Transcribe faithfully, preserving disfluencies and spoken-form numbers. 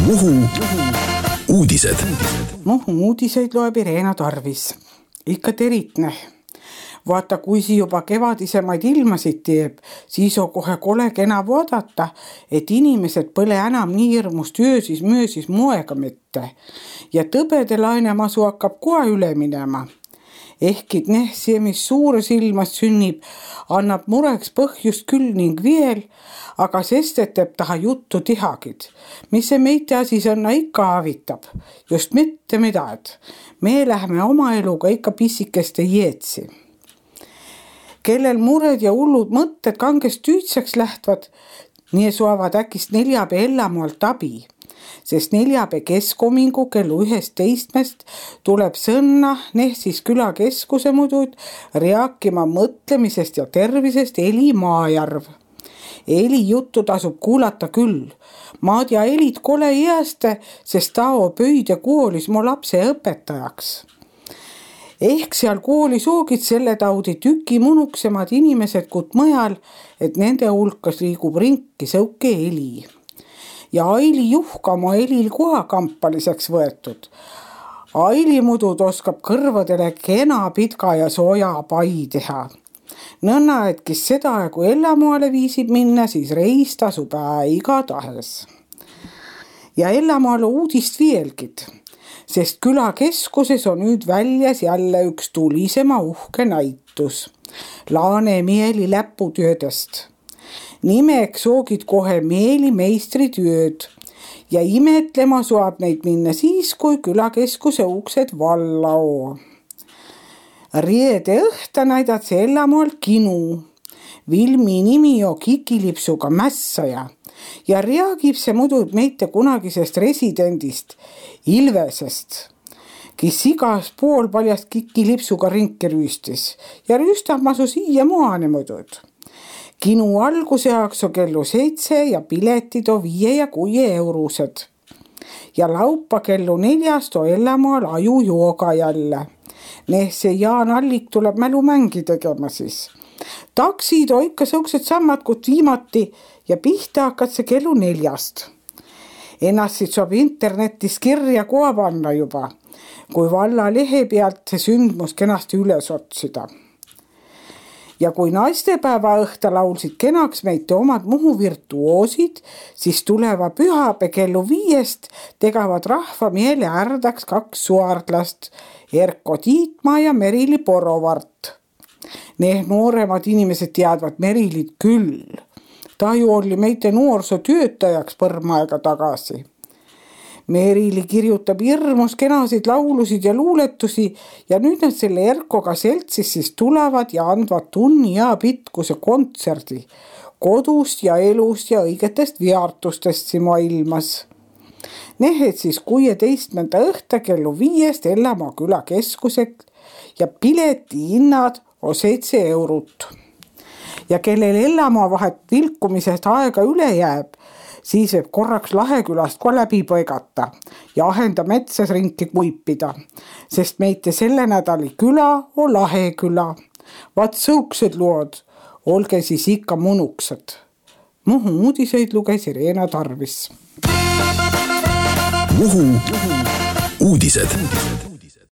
Muhu uudised. Muhu uudiseid loeb Irena Tarvis. Ikka teritne. Vaata, kui si juba kevadisemaid ilmasid teeb, siis on kohe kole kena vaadata, et inimesed põle enam nii hirmus töösis möösis moega mitte. Ja tõbede lainemasu hakkab kohe üle minema. Ehkid nehsi, mis suures ilmas sünnib, annab mureks põhjust küll ning veel, aga sestet teeb taha juttu tihagid, mis see meite asi sõnna ikka avitab, just mitte midagi. Me lähme oma eluga ikka pissikeste jeetsi. Kellel mured ja hullud mõtted kangest tüütseks lähtvad, nii suavad äkist neljapäe ellamualt abi, sest neljapäe keskomingu kellu ühest teistmest tuleb sõnna Nehsis külakeskuse mudud rääkima mõtlemisest ja tervisest Eli Maajärv. Eli juttu tasub kuulata küll. Maad ja Elit kole jääste, sest tao pöide koolis mu lapse õpetajaks. Ehk seal koolis oogid selle taudi tüki munuksemad inimesed kut mõjal, et nende hulkas liigub rinki sõuke Eli. Ja Aili juhka oma Elil kohakampaliseks võetud. Aili mudud oskab kõrvadele kena pitka ja sooja pai teha. Nõnna, et kes seda aegu Ellamoale viisib minna, siis reis tasub iga tahes. Ja Ellamoale uudist vielgid, sest külakeskuses on nüüd väljas jälle üks tulisema uhke näitus. Laane Mieli läputöödest. Nimeks soogid kohe Mieli meistritööd ja imetlema saab neid minna siis, kui külakeskuse uksed valla oo. Riede õhta näidad see Ellamoal kinu. Vilmi nimi on Kikilipsuga mässaja ja reagib see muidu meite kunagisest residendist Ilvesest, kes igas pool paljast Kikilipsuga rinki rüüstis ja rüüstab masu siia moane muidud. Kinu alguse jaoks on kellu seitse ja piletid on viie ja kuie eurused. Ja laupa kellu neljast on Ellamoal aju jooga jälle. Nehse Jaan Allik tuleb mälumängi tegema siis. Taksid on ikka sõuksed sammad kut viimati ja pihta hakkad see kellu neljast. Ennast siit saab internetis kirja koha panna juba, kui valla lehe pealt see sündmus kenasti üles otsida. Ja kui naistepäeva õhta laulsid kenaks meite omad Muhu virtuoosid, siis tuleva pühapäe kellu viiest tegavad rahva miele ärdaks kaks suardlast, Erko Tiitmaa ja Merili Porovart. Need nooremad inimesed teadvad Merilit küll. Ta ju oli meite noorsootöötajaks põrma aega tagasi. Merili kirjutab hirmus kenasid laulusid ja luuletusi ja nüüd nad selle Erkoga seltsis siis tulevad ja andvad tunni ja pitkuse kontserdi kodust ja elust ja õigetest viartustest siin maailmas. Nehed siis kuueteistkümnenda õhta kellu viiest Ellamaa külakeskusek ja pileti hinnad on seitse eurut. Ja kellel Ellamaa vahet vilkumisest aega üle jääb, siis võib korraks Lahekülast ka läbi põigata ja ahenda metsas ringi kuipida, sest meite selle nädali küla on Laheküla. Vaat sõuksed lood, olge siis ikka munuksed. Muhu uudiseid luges Irena Tarvis. Muhu uudised.